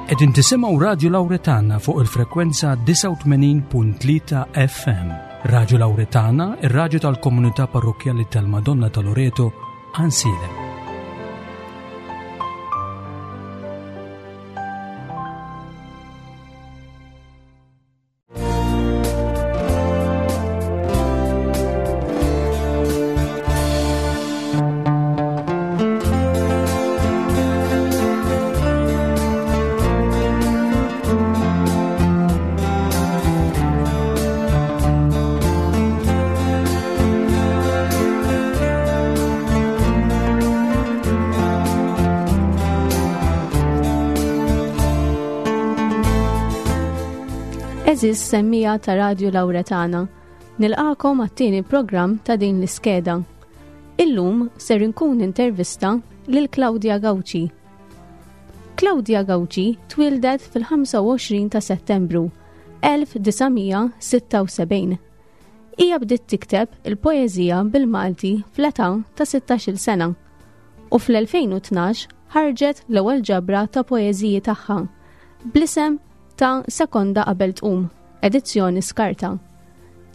Qegħdin tisimgħu Radju Lawretana fuq il-frekwenza 89.3 FM. Radju Lawretana, ir-radju tal-komunità parrokkjali tal-Madonna ta' Loreto, Ansilem. Eżis semmija ta' Radju Lawretana, nilqakom għat-tieni programm ta' din l-iskeda. Illum ser inkun intervista lil Claudia Gauci. Claudia Gauci twildet fil-25 ta' Settembru 1976. Hija bdiet tikteb il-poeżija bil-Malti fl-età ta' 16-il sena u fl-2012 ħarġet l-ewwel ġabra ta' poeżiji tagħha bl-isem ta' Sekonda Qabel Tqum, edizzjoni Skarta.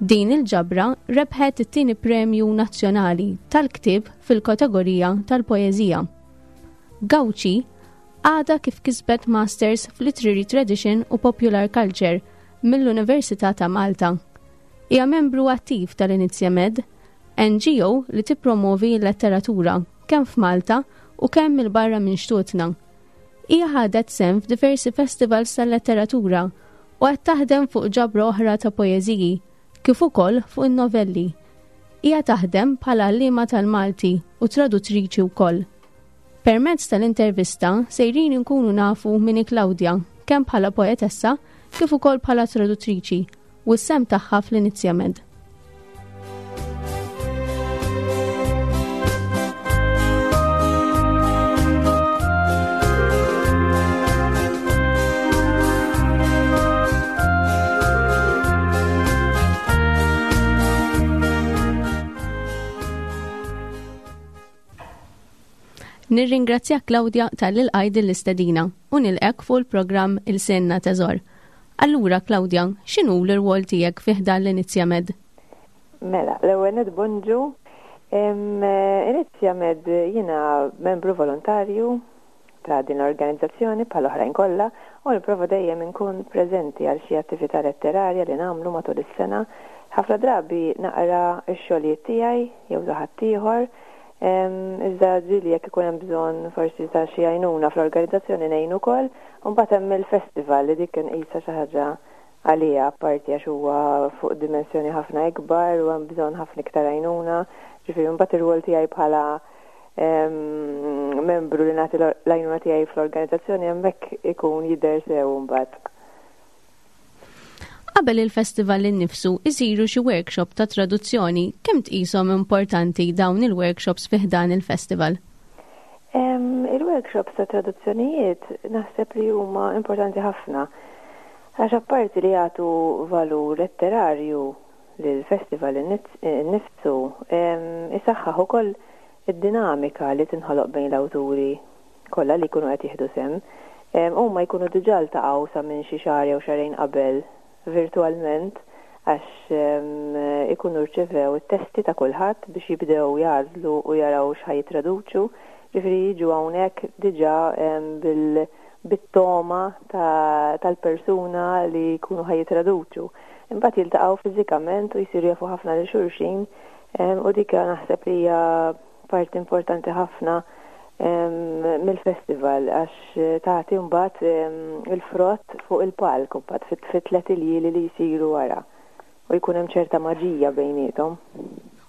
Din il-ġabra rebħet it-tieni premju nazzjonali tal-ktieb fil-kategorija tal-poeżija. Gauci għadha kif kisbet Masters f'Literary Tradition u Popular Culture mill-Università ta' Malta. Hija membru attiv tal-Inizjamed, NGO li tippromovi l-letteratura kemm f'Malta u kemm 'il barra minn xtutna. Hija ħadet sehem f'diversi festivals tal-letteratura u qed taħdem fuq ġabra oħra ta' poeżiji, kif ukoll fuq in-novelli. Hija taħdem bħala għalliema tal-Malti u traduttriċi wkoll. Permezz tal-intervista sejrin inkunu nafu min hi Claudia kemm bħala poetessa kif ukoll bħala traduttriċi u s-sehem tagħha fl-Inizjamed. Nirringrazzjak Claudia talli lqajt din l-istedina u nilqgħek fuq il-programm Ilsienna Teżor. Allura Claudia, x'inhu l-irwol tiegħek fi ħdan l-Inizjamed? Mela, l-ewwel nett bonġu. Inizjamed jiena membru volontarju ta' din l-organizzazzjoni bħal oħrajn kollha u nipprova dejjem inkun preżenti għal xi attività letterarja li nagħmlu matul is-sena. Ħafna drabi naqra x-xogħlijiet tiegħi jew ta' ħaddieħor Iżda ġieli jekk ikun hemm bżonn forsi ta' xi għajnuna fl-organizzazzjoni ngħin ukoll. U mbagħad hemm il-festival li dik inqisha xi ħaġa għaliha apparti għax huwa fuq dimensjoni ħafna ikbar u hemm bżonn ħafna iktar għajnuna. Ġifieri mbagħad ir-rwol tiegħi bħala membru li nagħti l-għajnuna tiegħi fl-organizzazzjoni hemmhekk ikun jidher sew imbagħad. Qabel il-festival innifsu isiru xi workshop ta' traduzzjoni, kemm tqishom importanti dawn il-workshops fi ħdan il-festival? Il-workshops ta' traduzzjonijiet naħseb li huma importanti ħafna għax apparti li jagħtu valur letterarju lill-festival innifsu, isaħħaħ ukoll id-dinamika li tinħoloq bejn l-awturi kollha li jkunu qed jieħdu sehem. Huma jkunu diġà ltaqgħu sa minn xi xahar jew xahrejn qabel virtwalment għax ikunu rċevew it-testi ta' kulħadd biex jibdew jagħżlu u jaraw x'ħa jittraduċu. Ġifieri jiġu hawnhekk diġà bil bit-togħma tal-persuna li jkunu ħa jittraduċu. Imbagħad jiltaqgħu fiżikament u jsiru jafu ħafna lil xulxin u dik naħseb li hija parti importanti ħafna mill-festival għax tagħti mbagħad il-frott fuq il-palk mbagħad fit-tlet iljieli li jsiru wara u jkun hemm ċerta maġija bejniethom.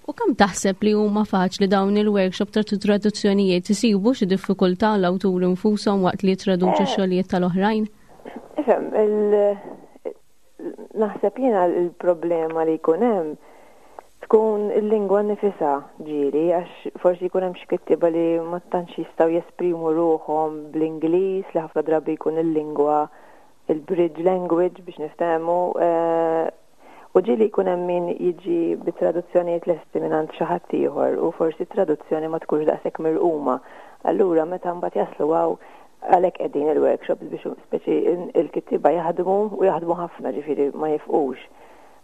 U kemm taħseb li huma faċli dawn il-workshop ta' traduzzjonijiet isibu xi diffikultà l-awturi nfushom waqt li jittraduċu eh. x-xogħlijiet tal-oħrajn? Ifhem, Naħseb jiena l-problema li jkun hemm tkun il-lingwa nnifisha ġieli għax forsi jkun hemm xi kittieba li ma tantx jistgħu jesprimu ruħhom bl-Ingliż li ħafna drabi jkun il-lingwa il-bridge language biex niftehmu eh, u ġieli jkun hemm min jiġi bi traduzzjonijiet lesti mingħand xi ħadd ieħor u forsi t-traduzzjoni ma tkunx daqshekk mirquma. Allura meta mbagħad jaslu hawn. Għalhekk qegħdin il-workshops biex speċi il-kittieba jaħdmu u jaħdmu ħafna ġifieri ma jifqux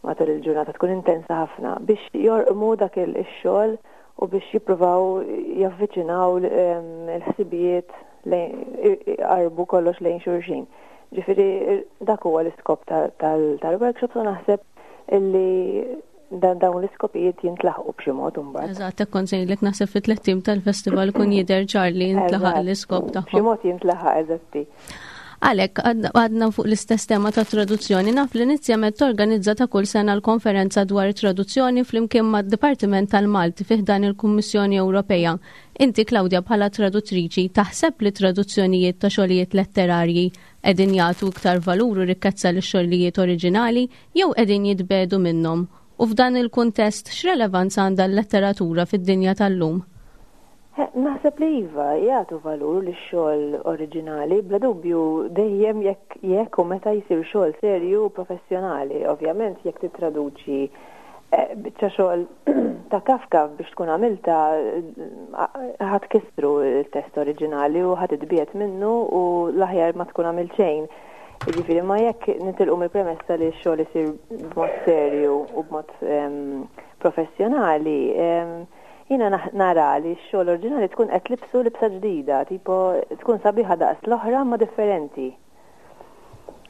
matul il-ġurnata tkun intensa ħafna biex jorqmu dak ix-xogħol u biex jippruvaw javviċinaw il-ħsibijiet iqarrbu kollox lejn xulxin. Ġifieri dak huwa l-iskop tal-workshops u naħseb illi dan dawn l-iskopijiet jintlaħqu b'xi mod imbagħad. Eżatt, hekk kont sejlek naħseb fit tlettim tal-festival kun jidher ċar li jintlaħaq l-iskop tagħhom. B'xi mod jintlaħaq eżatti. Għalhekk għadna fuq l-istess tema ta' traduzzjoni naf li inizjament torganizza ta' kull sena l-konferenza dwar traduzzjoni flimkien mad-Dipartiment tal-Malti fih dan il-Kummissjoni Ewropea. Inti Claudia bħala traduttriċi taħseb li traduzzjonijiet ta' xogħlijiet letterarji qegħdin jagħtu iktar valur u rikkezza lix-xogħlijiet oriġinali jew qegħdin jitbiegħdu minnhom? U f'dan il-kuntest x'relevanza għandha l-letteratura fid-dinja tal-lum? Naħseb li iva, jagħtu valur lix-xogħol oriġinali, bla dubju dejjem jekk jekk u meta jsir xogħol serju u professjonali. Ovvjament jekk tittraduċi biċċa xogħol ta' Kafka biex tkun għamiltha ħa tkissru l-test oriġinali u ħa titbiegħed minnu u l-aħjar ma tkun għamilt xejn. Jiġifieri ma jekk nitilqu mill-premessa li x-xogħol isir b'mod serju u b'mod professjonali, jiena nara li x-xogħol oriġinali tkun qed libsu libsa ġdida, tipo tkun sabiħa daqs l-oħra ma differenti.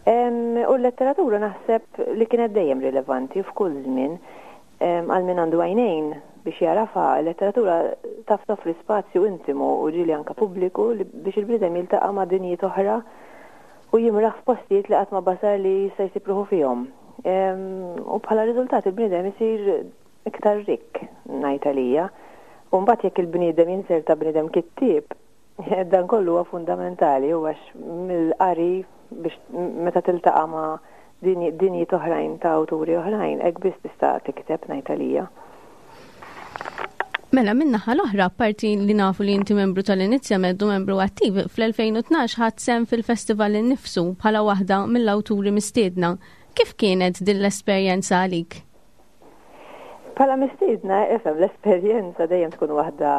U l-letteratura naħseb li kienet dejjem rilevanti f'kull żmien għal min għandu għajnejn biex jagħrafha, il-letteratura taf toffri spazju intimu u ġieli anke pubbliku biex il-bniedem jiltaqa' ma' dinjiet oħra u jimraħ f'postijiet li qatt ma basar li jista' jsib ruħu fihom. U bħala riżultat il-bniedem isir iktar rikk, ngħid għalija. U mbagħad jekk il-bniedem jinserta bniedem kittieb, Dan kollu huwa fundamentali u għax mill-qari biex meta tiltaqa' ma' dinjiet oħrajn ta' awturi oħrajn, hekk biss tista' tikteb ngħid għalija. Mela, min-naħa l-oħra, apparti li nafu li inti membru tal-Inizja Med u membru attiv, fl-2012 ħadt sehem fil-festival innifsu bħala waħda mill-awturi mistiedna. Kif kienet din l-esperjenza għalik? Bħala mistiedna, ifhem, l-esperjenza dejjem tkun waħda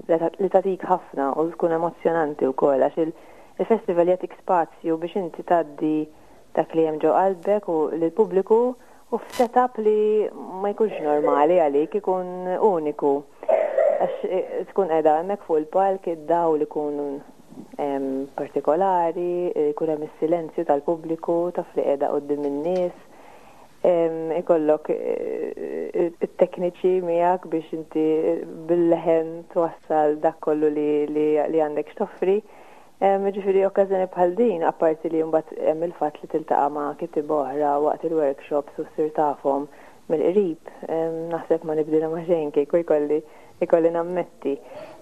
li tagħtik ħafna u tkun emozzjonanti wkoll għax il-festival jagħtik spazju biex inti tgħaddi dak li hemm ġo qalbek u lill-pubbliku u f'setup li ma jkunx normali għalik, ikun uniku. Għax eh, tkun qiegħda hemmhekk fuq il-palk, id-dawl ikun partikolari, ikun hemm is-silenzju tal-pubbliku, taf li qiegħda quddiem in-nies. Ikollok it-tekniċi miegħek biex inti bil-leħen twassal dak kollu li għandek x'toffri. Ġifieri okkażjoni bħal din, apparti li mbagħad hemm il-fatt li tiltaqa' ma' kittieba oħra waqt il-workshops u ssir tafhom mill-qrib, naħseb ma nibdilha ma' xejn kieku jkolli ikolli nammetti.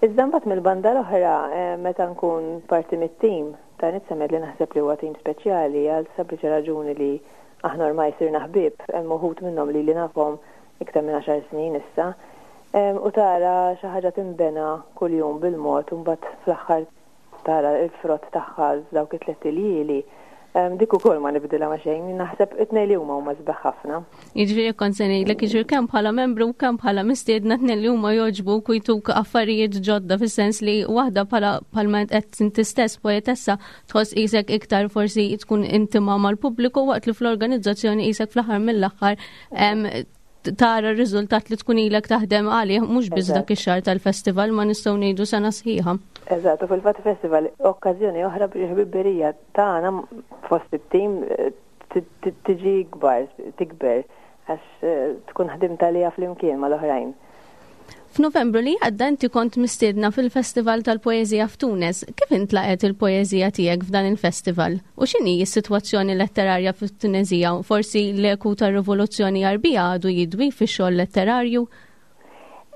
Iżda mbagħad mill-banda l-oħra meta nkun parti mit-tim ta' Nitsemed li naħseb li huwa tim speċjali għal sempliċi raġuni li Aħna ormai sirna ħbieb, hemm uħud minnhom lili nafhom iktar minn għaxar snin issa. U tara xi ħaġa tinbena kuljum bil-mod u mbagħad fl-aħħar tara l-frott tagħha f'dawk it-tlett iljieli, dik ukoll ma nibdilha ma' xejn. Naħseb it-tnejn li huma huma sbieħ ħafna. Jiġifieri jekk kont se ngħidlek, jiġifieri kemm bħala membru u kemm bħala mistiedna tnejn li huma jogħġbuk u jtuk affarijiet ġodda fis-sens li waħda bħala bħalma qed inti stess poetessa tħoss qisek iktar forsi tkun intima mal-pubbliku waqt li fl-organizzazzjoni qisek fl-aħħar mill-aħħar tara r-riżultat li tkun ilek taħdem għalih mhux biss dak ix-xahar tal-festival ma nistgħu ngħidu sena sħiħa. Eżatt, u fil-fatt festival okkażjoni oħra biex ħbiberija tagħna fost it-tim eh, tiġi ikbar, tikber Għax eh, tkun ħdimt għaliha flimkien mal-oħrajn. F'Novembru li għadda inti kont mistiedna fil-Festival tal-Poeżija f'Tunes. Kif intlaqet il-poeżija tiegħek f'dan il-festival? U x'inhi s-sitwazzjoni letterarja fit-Tuneżija? Forsi l-eku tar-Rivoluzzjoni Għarbija għadu jidwi fix-xogħol letterarju?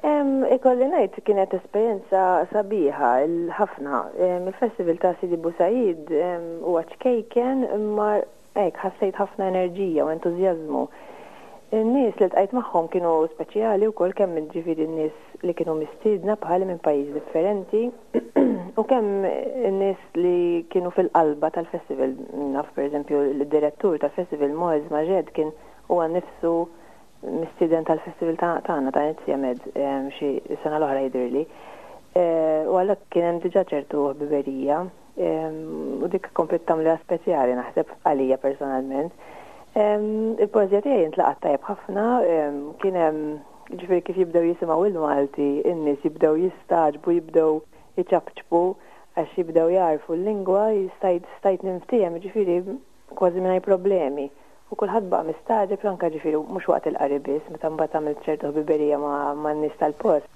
Ikolli ngħid kienet esperjenza sabiħa ħafna. Il-Festival ta' Sidi Bou Said huwa ċkejken imma Hekk, ħassejt ħafna enerġija u entużjażmu. In-nies li ltqajt magħhom kienu speċjali wkoll kemm jiġifieri n-nies li kienu mistiedna bħali minn pajjiż differenti u kemm in-nies li kienu fil-qalba tal-festival. Naf pereżempju d-direttur tal-festival Moez Majed kien huwa nnifsu mistieden tal-festival tagħna ta' Inizja Med xi sena l-oħra jidhirli. U għalhekk kien hemm diġà ċertu ħbiberija. U dik kompliet tagħmliha speċjali naħseb għalija personalment. Il-poeżija tiegħi intlaqat tajjeb ħafna, kien hemm ġifieri kif jibdew jisimgħu il-Malti, in-nies jibdew jistagħġbu, jibdew iċapċpu għax jibdew jagħrfu l-lingwa, stajt stajt ninftiehem ġifieri kważi mingħajr problemi. U kulħadd baqa' mistagħġeb anke ġifieri mhux waqt il-qari biss, meta mbagħad għamilt ċertu ħbiberija man-nies tal-post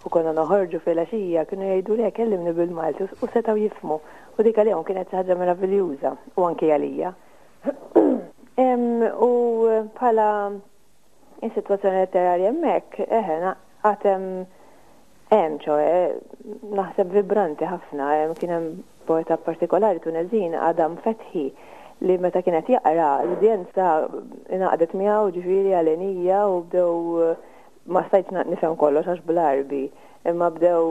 u konna noħorġu filgħaxija kienu jgħidu le kellimni bil-Malti u setgħu jifhmu. U dik għalihom kienet xi ħaġa meraviljuża u anki għalija. U bħala is-sitwazzjoni letterarja hemmhekk, eħe, għad hemm hemm ċoe, naħseb vibranti ħafna, kien hemm poeta partikolari Tuneżin, Adam Fethi, li meta kien qed jaqra, l-udjenza ingħaqdet miegħu ġifieri għalenija u bdew ma stajtx nifhem kollox għax bl-Għarbi, imma bdew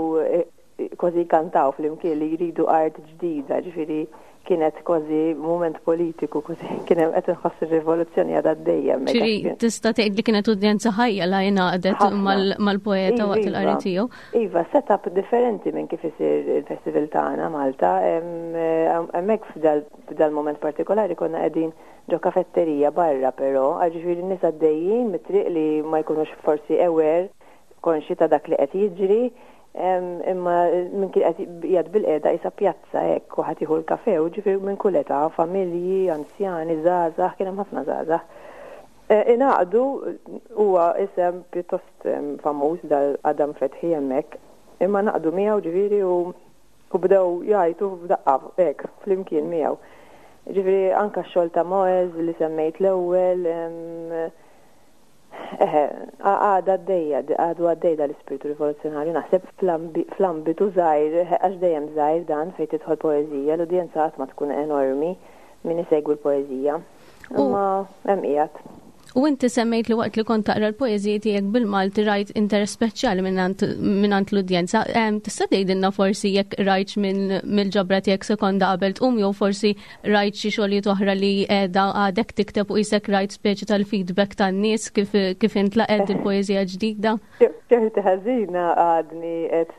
kważi jkantaw flimkien li jridu art ġdida, ġifieri kienet kważi mument politiku, kważi kien hemm qed inħoss ir-rivoluzzjoni għadha għaddejja hemmhekk. Ġifieri tista' tgħid li kienet udjenza ħajja la ingħaqdet mal-poeta waqt iva, il-qari tiegħu. Iva, setup differenti minn kif isir il-festival tagħna Malta. Hemmhekk f'dal-moment partikolari konna qegħdin ġo kafetterija barra però, ġifieri n-nies għaddejjin mit-triq li ma jkunux forsi aware konxji ta' dak li qed jiġri, imma min kien qed qiegħed bilqiegħda qisha pjazza hekk u ħadd jieħu l-kafè u ġifieri minn kull età, familji, anzjani, żgħażagħ, kien hemm ħafna żgħażagħ. Ingħaqdu huwa isem pjuttost famuż dal Adam Fethi hemmhekk, imma ngħaqdu miegħu ġifieri u u bdew jgħajtu f'daqqa hekk flimkien miegħu. Ġifieri anke x-xogħol ta' Moez li semmejt l-ewwel, Eħe, għadha għaddejja, għadu għaddej dal-ispirtu rivoluzzjonarju, naħseb fl-ambitu żgħir, għax dejjem żgħir dan fejn tidħol poeżija, l-udjenza qatt ma tkun enormi min isegwi l-poeżija. Imma hemm qiegħed. U inti semmejt li waqt li kont taqra l-poeżiji tiegħek bil-Malti rajt interess speċjali mingħand l-udjenza. Tista' tgħidilna forsi jekk rajtx mill-ġabra tiegħek sekonda qabel tqum jew forsi Rajt xi xogħlijiet oħra li qiegħda għadek tikteb u qisek rajt speċi tal-feedback tan-nies kif kif intlaqgħet il-poeżija ġdida? Ċerti ħażina għadni qed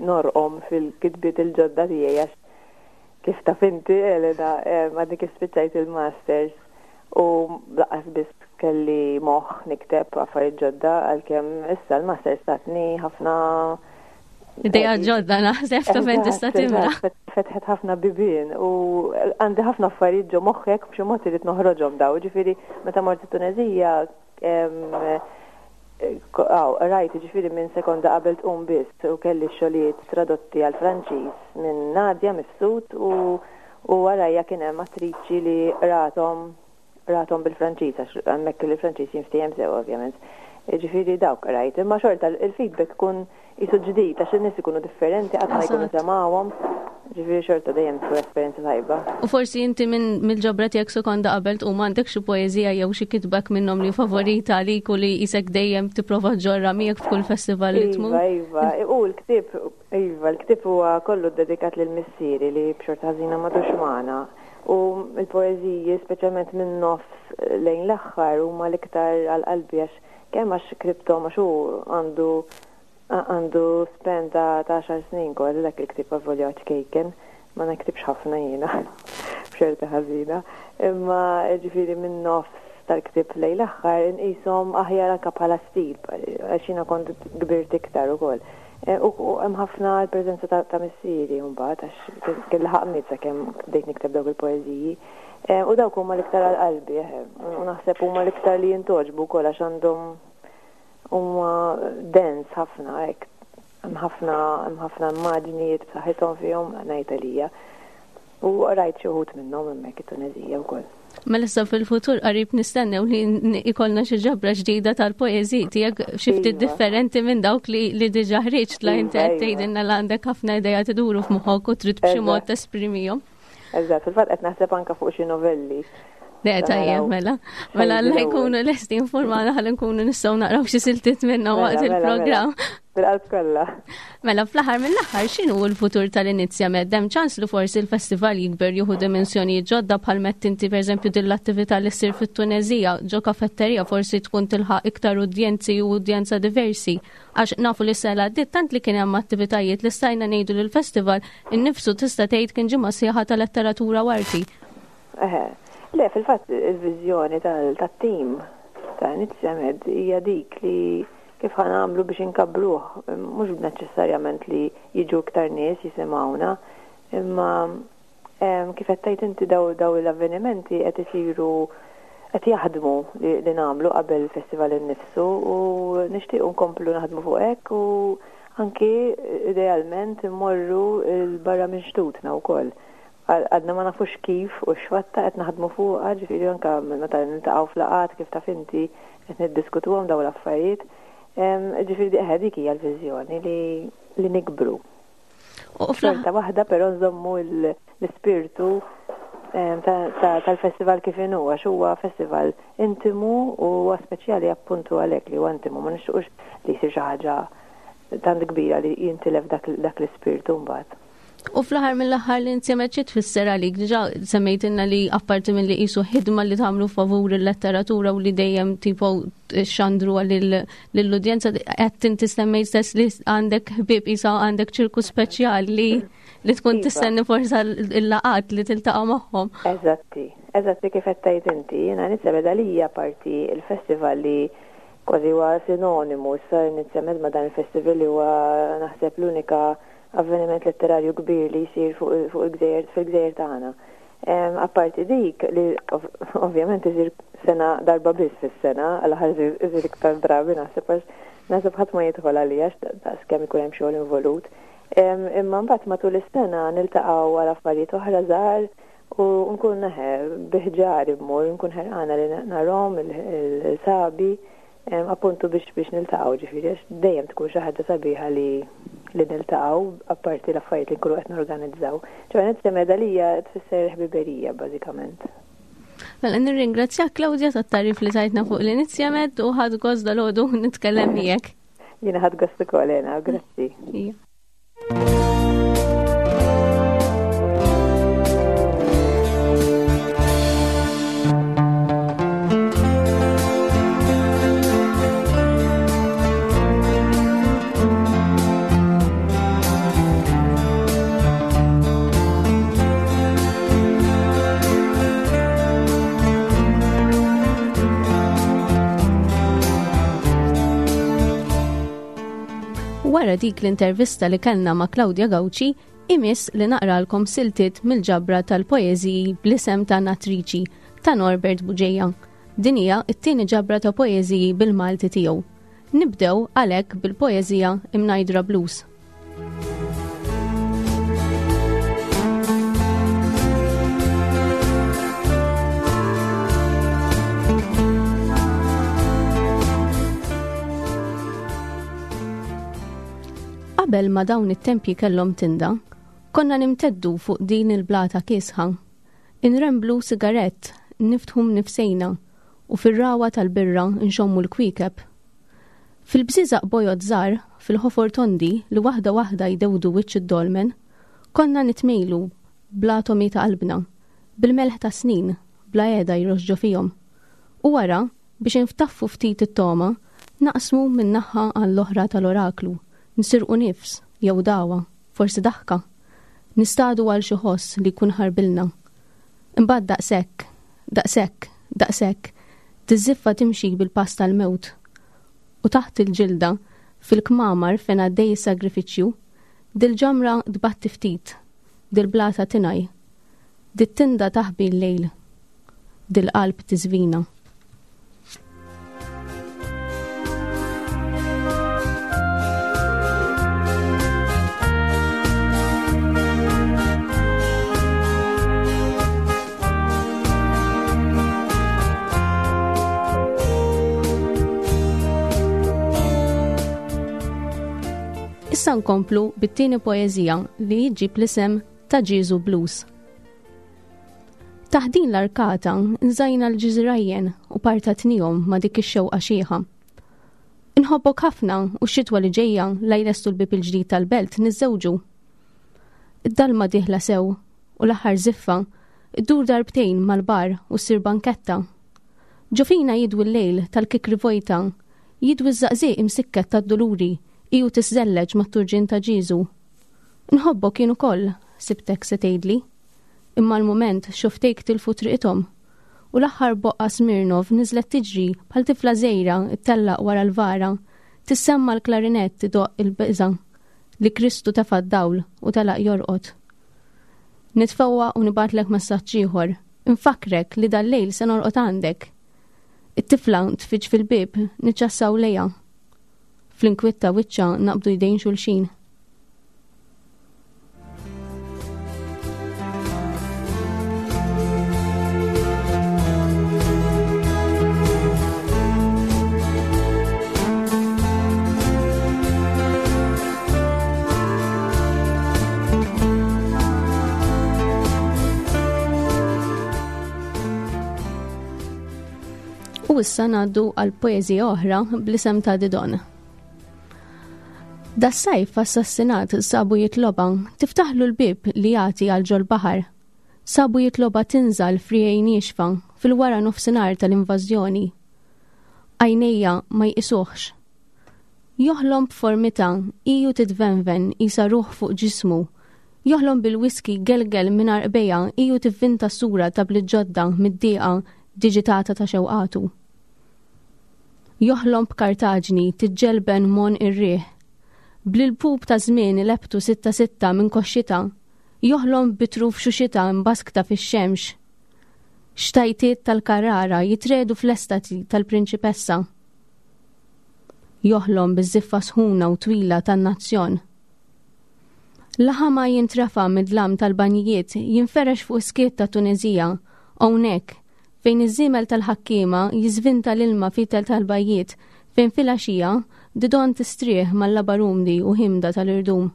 norqom fil-kitbiet il-ġodda tiegħi għax kif taf inti Elena għadni kif spiċċajt il-masters u laqas biss kelli moħħ nikteb affarijiet ġodda għalkemm issa l-masters tatni ħafna Ideja ġodda naħseb ta' fejn tista' timla. Fetħet ħafna bibien u għandi ħafna affarijiet ġo moħħek b'xi mod irid noħroġhom daw. Ġifieri meta mort it-Tuneżija rajt ġifieri minn sekonda qabel tqum biss u kelli x-xogħlijiet tradotti għal Franċiż minn Nadia Mifsud u warajja kien hemm attriċi li qrathom Qrathom bil-Franċiż għax hemmhekk il-Franċiż jinftiehem sew ovvjament. Jiġifieri dawk qrajt. Imma xorta il-feedback ikun qisu ġdid għax in-nies ikunu differenti qatt ma jkunu semgħuhom. Ġifieri xorta dejjem tkun esperjenza tajba. U forsi inti minn mill-ġabra tiegħek sekonda qabel tqum għandek xi poeżija jew xi kitba minnhom li favorita għalik u li qisek dejjem tipprova ġġorrha miegħek f'kull festival li tmur? Iva, iva. U l-ktieb, iva, l-ktieb huwa kollu ddedikat lil missieri li b'xorti ħażina m'għadux magħna. U l-poeżiji, speċjalment min-nofs lejn l-aħħar, huma l-iktar għal qalbi għax kemm għax ktibthom għax hu għandu għandu span ta' għaxar snin kważi dak il-ktieb avolja huwa ċkejken, ma niktibx ħafna jiena b'xorti ħażina. Imma ġifieri min-nofs tal-ktieb lejn l-aħħar inqishom aħjar anke bħala stil għax jiena kont kbirt iktar ukoll. Eh, u hemm ħafna l-preżenza ta' missieri mbagħad għax kien laħaq miet sakemm bdejt nikteb dawk il-poeżiji. Eh, u dawk huma l-iktar għal qalbi, eh, u naħseb huma l-iktar li jintogħġbu wkoll għax għandhom huma dens ħafna hekk. Hemm ħafna hemm ħafna immaġnijiet b'saħħithom fihom ngħid għalija. U rajt xi wħud minnhom hemmhekk it-Tuneżija wkoll. Mela issa fil-futur qarib nistennew li ikollna xi ġabra ġdida tal-poeżiji tiegħek xi ftit iva. differenti minn dawk li, li diġà ħriġt la inti qed iva. tgħidilna li għandek ħafna idea tiduru f'moħħok u trid b'xi mod tesprimihom. Eżatt, fil-fatt qed naħseb anke fuq xi novelli. Le, tajjeb, mela. Mela, alla jkunu lesti informana ħalli nkunu nistgħu naqraw xi siltiet minna mela, waqt mela, mela. il-programm. Bil-qalb kollha. Mela, fl-aħħar mill-aħħar x'inhu l-futur tal-Inizja Med? Hemm ċans li forsi l-festival jikber jieħu dimensjonijiet ġodda bħal mett inti pereżempju din l-attività li ssir fit-Tunezija ġo kafetterija forsi tkun tilħaq iktar udjenzi u udjenza diversi. Għax nafu li sena għaddiet tant li kien hemm attivitajiet li stajna ngħidu li l-festival innifsu tista' tgħid kien ġimgħa sħiħa ta' letteratura u arti. Eħe. Le, fil-fatt il-viżjoni tat-tim ta' Inizja Med hija dik li kif ħa nagħmlu biex inkabbruh, mhux neċessarjament li jiġu iktar nies jisimgħuna, imma kif qed tgħid inti daw l-avvenimenti qed isiru qed jaħdmu li nagħmlu qabel il-festival innifsu u nixtiequ nkomplu naħdmu fuq hekk u anki idealment immorru 'l barra minn xtutna wkoll. Għadna ma nafux kif u x'fatta qed naħdmu fuqha, ġifieri anke meta niltaqgħu f'laqgħat kif taf inti qed niddiskutuhom dawn l-affarijiet. Ġifieri eħe dik hija l-viżjoni li li nikbru. U xorta waħda però nżommu l-ispirtu tal-festival kif inhu għax huwa festival intimu u huwa speċjali appuntu għalhekk li huwa intimu ma nixtiequx li jsir xi ħaġa tant kbira li jintilef dak l-ispirtu mbagħad. U fl-aħħar mill-aħħar li inti xi tfisser għalik, diġà semmejtilna li apparti milli qisu ħidma li tagħmlu favur il-letteratura u li dejjem tipo xandru lill-udjenza, qed inti semmejt stess li għandek ħbieb qisha għandek ċirku speċjali li li tkun iva. tistenni forsa l-laqat li tiltaqa' magħhom. Eżatti, eżatti kif qed tgħid inti, jiena nisebed għalija parti il-festival li kważi huwa sinonimu issa inizjament ma' dan il-festival li huwa naħseb l-unika avveniment letterarju kbir li jsir fuq il-gżejjer fil-gżejjer tagħna. Apparti dik li ovvjament isir sena darba biss fis-sena, għal ħares isir iktar drabi naħseb għax naħseb ħadd ma jidħol għalija daqs kemm ikun hemm xogħol involut. Imma mbagħad matul is-sena niltaqgħu għal affarijiet oħra żgħar u nkun neħe biħġar immur, nkun ħerqana li narhom il-sabi Appuntu biex biex niltaqgħu ġifieri għax dejjem tkun xi ħaġa sabiħa li li niltaqgħu apparti l-affarijiet li nkunu qed norganizzaw. Ċoħe nitsemeda li hija tfisser ħbiberija bażikament. Mela nirringrazzjak Claudia tat-tarif li tajtna fuq l-inizjamed u ħadd gost dal-għodu nitkellem miegħek. Jiena ħadd gost ukoll Ena, grazzi. Wara dik l-intervista li kellna ma' Claudia Gauci, imiss li naqralkom siltiet mill-ġabra tal-poeżiji bl-isem ta' Natriċi ta' Norbert Bugeja. Din hija t-tieni ġabra ta' poeżiji bil-Malti tiegħu. Nibdew għalhekk bil-poeżija Imnajdra Blues. Qabel ma dawn it-tempji kellhom tinda, konna nimteddu fuq din il-blata kiesħa. Inremblu sigarett, niftħu mnifsejna u fir-ragħwa tal-birra nxommu l-kwiekeb. Fil-bżieżaq bojod żgħar, fil-ħofor tondi li waħda waħda jdewdu wiċċ id-dolmen, konna nitmejlu bl-atomi ta' qalbna, bil-melħ tas-snin, bla qiegħda jroxx ġo fihom. U wara, biex inftaffu ftit it-togħma, naqsmu minn naħa għall-oħra tal-oraklu, nisirqu nifs, jew dagħwa, forsi daħka. Nistadu għal xi ħoss li jkun ħarbilna. Imbagħad daqshekk, daqshekk, daqshekk, tiżżiffa timxi bil-pass tal-mewt. U taħt il-ġilda, fil-kmamar fejn għaddej is-sagrifiċċju, dil-ġamra tbatti ftit, dil-blata tingħi, dit-tinda taħbi l-lejl, dil-qalb tiżvina. Issa nkomplu bit-tieni poeżija li jġib l-isem ta' Ġieżu Blues. Taħt din l-arkata nżajna l-ġiżirajjen u partatnihom ma' dik ix-xewqa xiħa. Inħobbok ħafna u x-xitwa li ġejja la jlestu l-bieb il-ġdid tal-belt niżżewġu. Id-dalma dieħla sew u l-aħħar żiffa ddur darbtejn mal-bar u ssir banketta. Ġo fina jidwi l-lejl tal-kikri vojta, jidwi ż-żaqżieq imsikket tad-duluri hi u tiżżelleġ mat-turġien ta' Ġieżu. Nħobbok jien ukoll, sibtek se tgħidli. Imma l-mument xufftejk tilfu triqithom. U l-aħħar boqqa Smirnov niżlet tiġri bħal tifla żgħira ttellaq wara l-vara, tissemma' l-klarinett idoqq il-biża' li Kristu tefa' d-dawl u telaq jorqod. Nitfewwaq u nibgħatlek messaġġ ieħor, infakkrek li dal-lejl se norqod għandek. It-tifla tfiġġ fil-bieb, niċċassaw lejha. Fl-inkwiet ta' wiċċha naqbdu jdejn xulxin. U issa ngħaddu għal poeżija oħra bl-isem ta' Didon. Das-sajf assassinat sabu jitloba tiftaħlu l-bib li jagħti għal ġol-baħar. Sabu jitloba tinżal frijej niexfa fil-wara nofsinhar tal-invażjoni. Għajnejja ma jqisuhx. Joħlom b'formità iju titvenven qisha ruħ fuq ġismu. Joħlom bil-whisky gelgel minn għarqbejha iju tivvinta sura ta' bliet ġodda mid-dieqa diġitata ta' xewqatu. Joħlom b'Kartaġni tiġġelben m'għonq ir-riħ. Bl-ilpup ta' żmien ilebbtu sitta sitta minn koxxitha. Joħlom bi truf xuxitha mbaskta fix-xemx. Xtajtiet tal-Carrara jitredu fl-estati tal-prinċipessa. Joħlom biż-żiffa sħuna u twila tan-nazzjon. Laħama jintrefa' mid-dlam tal-banjijiet jinferex fuq is-skiet ta' Tuneżija, hawnhekk, fejn iż-żiemel tal-ħakkiema jiżvinta l-ilma fitel tal-bajjiet, fejn filgħaxija Didon tistrieħ mal-labar umdi u ħimda tal-irdum.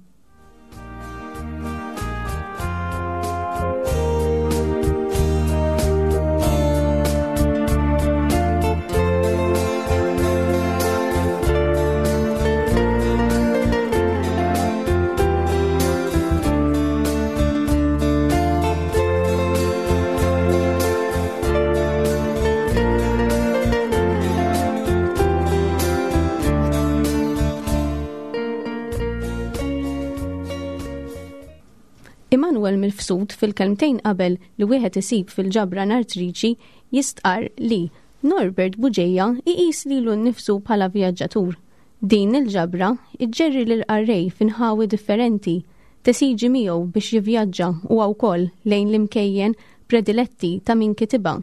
Immanuel Mifsud fil-kelmtejn qabel li wieħed isib fil-ġabra nartriċi jistqarr li Norbert Bugeja iqis lilu nnifsu bħala vjaġġatur. Din il-ġabra iġġerri lill-qarrej f'inħawi differenti, tesiġi miegħu biex jivvjaġġa huwa wkoll lejn l-imkejjen prediletti ta' min kitibha.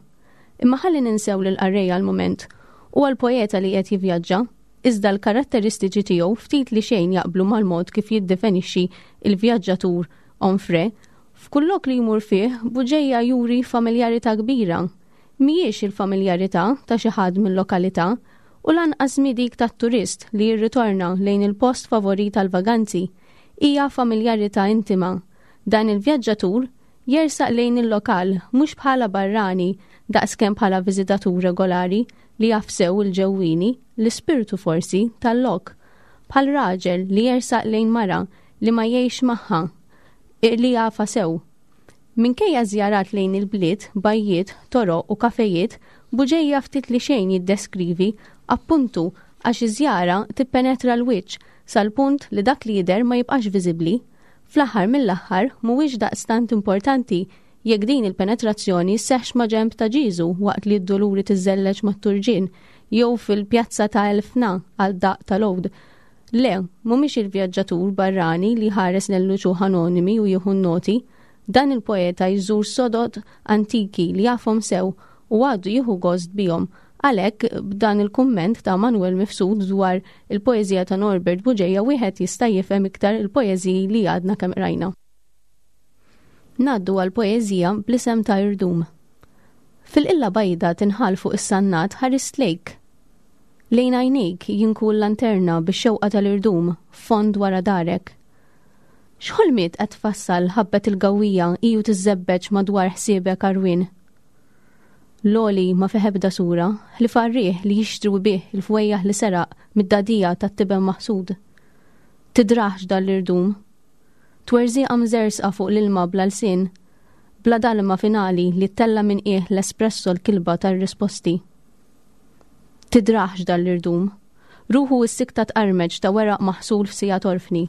Imma ħalli ninsew lill-qarrej għal mument. Huwa l-poeta li qiegħed jivvjaġġa, iżda l-karatteristiċi tiegħu ftit li xejn jaqblu mal-mod kif jiddefenixxi l-vjaġġatur Onfray. F'kull lok li jmur fih, Bugeja juri familjarità kbira. Mhijiex il-familjarità ta' xi ħadd mil-lokalità u lanqas mhi dik tat-turist li jirritorna lejn il-post favorit għall-vaganzi. Hija familjarità intima. Dan il-vjaġġatur jersaq lejn il-lokal mhux bħala barrani daqskemm bħala viżitatur regolari li jaf sew il-ġewwieni, l-ispirtu forsi, tal-lok. Bħal raġel li jersaq lejn mara li ma jgħixx magħha, li jafha sew. Minkejja żjarat lejn il-bliet, bajjiet, toroq u kafejiet, Bugeja ftit li xejn jiddeskrivi, appuntu għax iż-żjara tippenetra l-wiċċ sal-punt li dak li jidher ma jibqax viżibbli. Fl-aħħar mill-aħħar mhuwiex daqstant importanti jekk din il-penetrazzjoni sseħħx maġenb ta' Ġieżu waqt li d-duluri tiżżelleġ mat-turġien jew fil-pjazza ta' Elfna għad-daqq tal-għud. Le, mhumiex il-vjaġġatur barrani li jħares lejn l-uċuħ anonimi u jieħu n-noti. Dan il-poeta jżur sodod antiki li jafhom sew u għadu jieħu gost bihom. Għalhekk, b'dan il-kumment ta' Manuel Mifsud dwar il-poeżija ta' Norbert Bugeja wieħed jista' jifhem iktar il-poeżiji li għadna kemm qrajna. Ngħaddu għal poeżija bl-isem ta' Irdum. Fil-qilla bajda tinħall fuq is-sannat ħarist lejk. Lejn għajnejk jinku l-lanterna bix-xewqa tal-irdum fond wara darek. X'ħolmiet qed tfassal ħabbet il-gawwija hi u tiżżebbeġ madwar ħsiebek għarwien? L-għoli ma fih ebda sura, ħlief għar-riħ li jixtri bih il-fwejjaħ li seraq mid-dagħdigħa tat-tiben maħsud. Tidrahx dan l-irdum. Twerżieqa mżerżqa fuq l-ilma bla lsien, bla dalma finali li ttella' minn qiegħ l-espresso l-kilba tar-risposti. Tidrahx dan l-irdum. Ruħu s-sikta tqarmeċ ta' weraq maħsul f'siegħa torfni.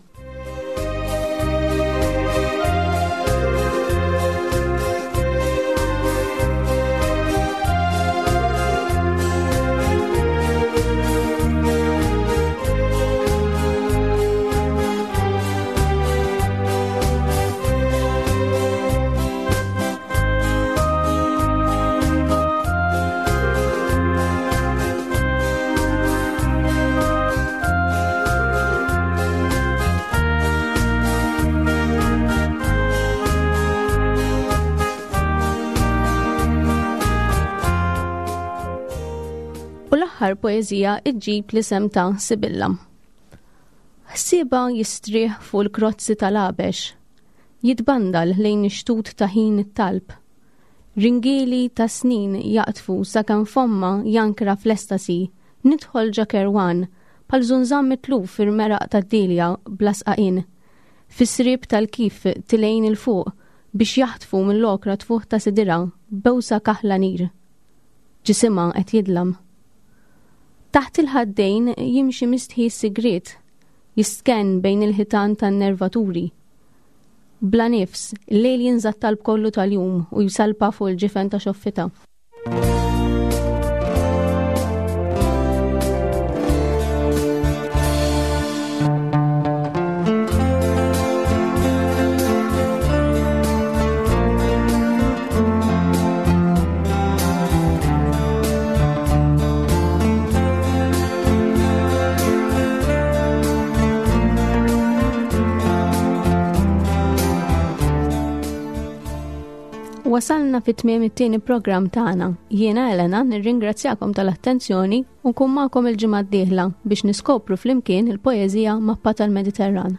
U l-aħħar poeżija iġġib l-isem ta' Sibilla. Ħsieba jistrieħ fuq il-krozzi tal-għabex, jitbandal lejn ix-xtut ta' ħin it-talb. Ringieli ta' snin jaqdfu sakemm fommha jankra fl-estasi, nidħol ġa kerwan, bħal żunżan mitluf fir-meraq tad-dielja bla sqaqien. Fis-sriep tal-kif tilgħin 'il fuq biex jaħtfu mill-okra tfuħ ta' sidirha bewsa kaħla nir. Ġisimha qed jidlam. Taħt il-ħaddejn jimxi mistħi s-sigriet, jistkenn bejn il-ħitan tan-nervaturi. Bla nifs, il-lejl jinża' t-talb kollu tal-jum u jsalpa fuq il-ġifen ta' xoffitha. Wasalna fit tmiem it-tieni programm tagħna. Jiena Elena nirringrazzjakom tal-attenzjoni u nkun magħkom il-ġimgħa d-dieħla biex niskopru flimkien il-poeżija Mappa tal-Mediterran.